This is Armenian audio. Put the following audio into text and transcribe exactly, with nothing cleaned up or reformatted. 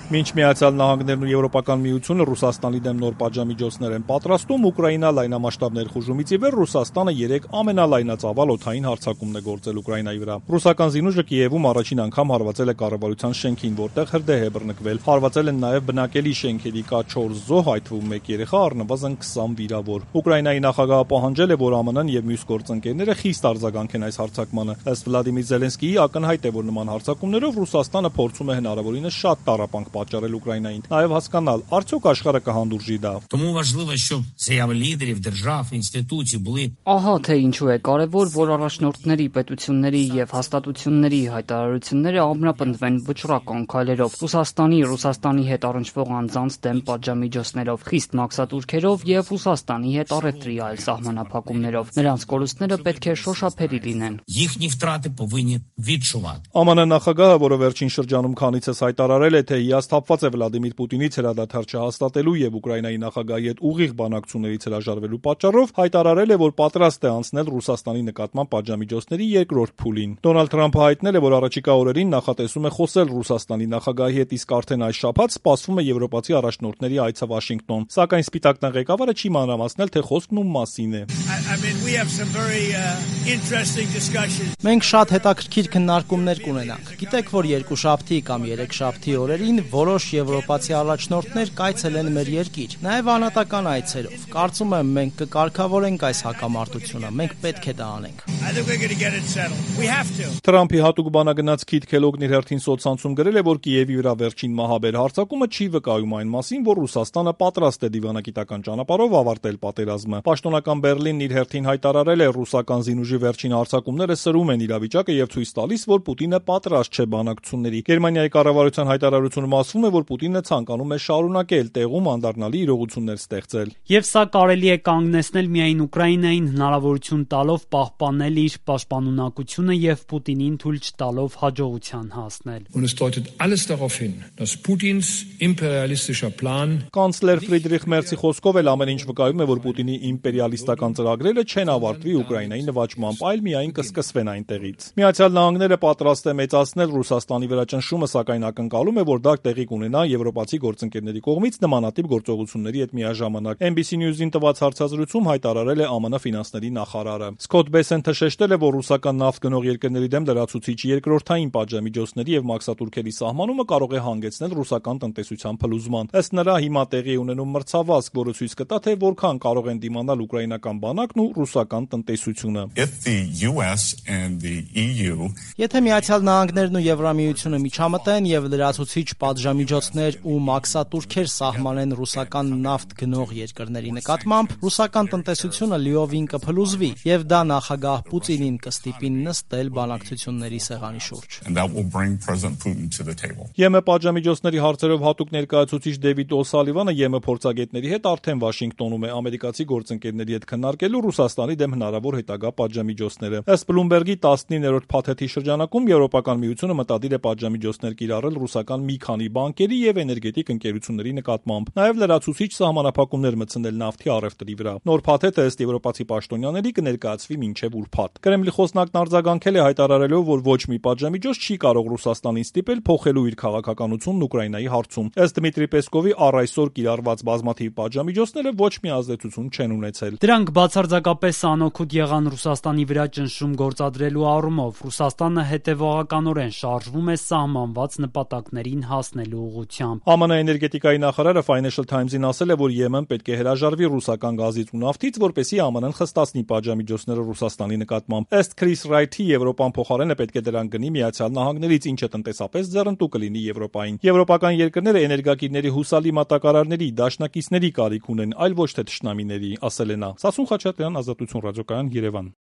Մինչ Միացյալ Նահանգներն ու Եվրոպական միությունը Ռուսաստանի դեմ նոր պատժամիջոցներ են պատրաստում, Ուկրաինա լայնամասշտաբ ներխուժումից ի վեր Ռուսաստանը երեք ամենալայնածավալ օդային հարձակումն է գործել Ուկրաինայի վրա։ Ռուսական զինուժը Կիևում առաջին անգամ հարվածել է կառավարության շենքին, որտեղ հրդեհ է բռնկվել։ Հարվածել են նաև բնակելի շենքերի կա չորս զոհ, այդ թվում մեկ երեխա, առնվազն քսան վիրավոր։ Ուկրաինայի նախագահը պահանջել է, որ ԱՄՆ-ն եւ մյուս գործընկերները խիստ արձագանքեն այս հարձակմանը։ Ըստ Վլադիմիր Զելենսկիի, ակնհայտ է, որ նման հարձակումներով Ռուսաստանը փորձում է հնարավորինս շատ տառապանք պատճառել Ուկրաինային, նաև հասկանալ, արդյոք աշխարհը կհանդուրժի դա։ Ահա թե ինչու է կարևոր, որ առաջնորդների, պետությունների եւ հաստատությունների հայտարարությունները ամրապնդվեն վճռական քայլերով, Ռուսաստանի, Ռուսաստանի հետ առնչվող անձանց դեմ պատժամիջոցներով, խիստ մաքսատուրքերով եւ Ռուսաստանի հետ առևտրի այլ սահմանափակումներով։ Նրանց կորուստները պետք է շոշափելի լինեն։ ԱՄՆ նախագահը, որը վերջին շրջանում քանիցս հայտարարել է, թե հիասթափված է Վլադիմիր Պուտինից հրադադար չհաստատելու եւ Ուկրաինայի նախագահի հետ ուղիղ բանակցություններից հրաժարվելու պատճառով, հայտարարել է, որ պատրաստ է անցնել Ռուսաստանի նկատմամբ պատժամիջոցների երկրորդ փուլին։ Դոնալդ Թրամփը հայտնել է, որ առաջիկա օրերին նախատեսում է խոսել Ռուսաստանի նախագահի հետ, իսկ արդեն այս շաբաթ սպասվում է եվրոպացի առաջնորդների այցը Վաշինգտոն։ Սակայն Սպիտակ տան ղեկավարը չի մանրամասնել, թե խոսքն ում մասին է։ Մենք շատ հետաքրքիր քննարկումներ կունենանք։ Գիտեք, որ երկուշաբթի կամ երեքշաբթի օրերին որոշ եվրոպացի առաջնորդներ կայցելեն մեր երկիր, նաև անհատական այցերով։ Կարծում եմ, մենք կկարգավորենք այս հակամարտությունը, մենք պետք է դա անենք։ Թրամփի հատուկ բանագնաց Քիթ Քելոգն իր հերթին սոցցանցում գրել է, որ Կիևի վրա վերջին մահաբեր հարձակումը չի վկայում այն մասին, որ Ռուսաստանը պատրաստ է դիվանագիտական ճանապարհով ավարտել պատերազմը։ Պաշտոնական Բեռլինն իր հերթին հայտարարել է, ռուսական զինուժի վերջին հարձակումները սրում են իրավիճակը եւ ցույց տալիս, որ Պուտինը պատրաստ չէ բանակցությունների։ Գերմանիայի կառավարության հայտարարությունում ասվում է, որ Պուտինը ցանկանում է շարունակել տեղում անդառնալի իրողություններ ստեղծել։ Եվ սա կարելի է կանգնեցնել միայն Ուկրաինային հնարավորություն տալով պահպանել իր պաշտպանունակությունը եւ Պուտինին թույլ չտալով հաջողության հասնել։ Կանցլեր Ֆրիդրիխ Մերցի խոսքով էլ ամեն ինչ վկայում է, որ Պուտինի իմպերիալիստական ծրագրերը չեն ավարտվի Ուկրաինայի նվաճմամբ, այլ միայն կսկսվեն այնտեղից։ Միացյալ Նահանգները պատրաստ է մեծացնել Ռուսաստանի վրա ճնշումը, սակայն ակնկալում է, որ դա տեղի կունենա եվրոպացի գործընկերների կողմից նմանատիպ գործողությունների հետ միաժամանակ։ N B C News-ին տված հարցազրույցում հայտարարել է ԱՄՆ ֆինանսների նախարարը։ Սքոթ Բեսենթը շեշտել է, որ ռուսական նավթ գնող երկրների դեմ լրացուցիչ երկրորդային պատժամիջոցների եւ մաքսատուրքերի սահմանումը կարող է հանգեցնել ռուսական տնտեսության փլուզման։ Ըստ նրա, հիմա տեղի ունենում մրցավազք, որը ցույց կտա, թե որքան կարող են դիմանալ ուկրաինական բանակն ու ռուսական տնտեսությունը։ Եթե Միացյալ Նահանգներն ու Եվրամիությունը միջամտեն եւ լրացուցիչ պատժամիջոցներ ու մաքսատուրքեր սահմանեն ռուսական նավթ գնող երկրների նկատմամբ, ռուսական տնտեսությունը լիովին կփլուզվի եւ դա նախագահ Պուտինին կստիպի նստել բանակցությունների սեղանի շուրջ։ ԵՄ պատժամիջոցների հարցերով հատուկ ներկայացուցիչ Դեվիդ Օ'Սալիվանը ԵՄ փորձագետների հետ արդեն Վաշինգտոնում է ամերիկացի գործընկերների հետ քննարկելու Ռուսաստանի դեմ հնարավոր հետագա պատժամիջոցները։ Ըստ Բլումբերգի տասնիններորդ փաթեթի շրջանակում Եվրոպական միությունը մտադիր է պատժամիջոցներ կիրառել ռուսական մի քանի բանկերի եւ էներգետիկ ընկերությունների նկատմամբ, նաեւ լրացուցիչ սահմանափակումներ մտցնել նավթի առևտրի վրա։ Նոր փաթեթը ըստ եվրոպացի պաշտոնյաների կներկայացվի մինչեւ ուրբաթ։ Կրեմլի խոսնակն արձագանքել է հայտարարելով, որ ոչ մի պատժամիջոց չի կարող Ռուսաստանին ստիպել փոխելու իր քաղաքականությունն Ուկրաինայի հարցում։ Ըստ Դմիտրի Պեսկովի, առ այսօր կիրառված բազմաթիվ պատժամիջոցները ոչ մի ազդեցություն չեն ունեցել։ Դրանք բացարձակապես անօգուտ եղան Ռուսաստանի վրա ճնշում գործադրելու առումով։ Ռուսաստանը հետևողականորեն շարժվում է սահմանված նպատակներին հասնելու ուղղությամբ։ ԱՄՆ էներգետիկայի նախարարը Financial Times-ին ասել է, որ ԵՄ-ն պետք է հրաժարվի ռուսական գազից ու նավթից, որպեսզի ԱՄՆ-ն խստացնի պատժամիջոցները Ռուսաստանի նկատմամբ։ Ըստ Քրիս Ռայթի, Եվրոպան փոխարենը պետք է դրան գնի Միացյալ Նահանգներից, ինչը տնտեսապես ձեռնտու կլինի Եվրոպային։ Եվրոպական երկրները էներգակիրների հուսալի մատակարարների, դաշնակիցների կարիք ունեն, այլ ոչ թե թշնամիների, ասել է նա։ Սասուն Խաչատրյան, Ազատություն ռադիոկայան, Երևան։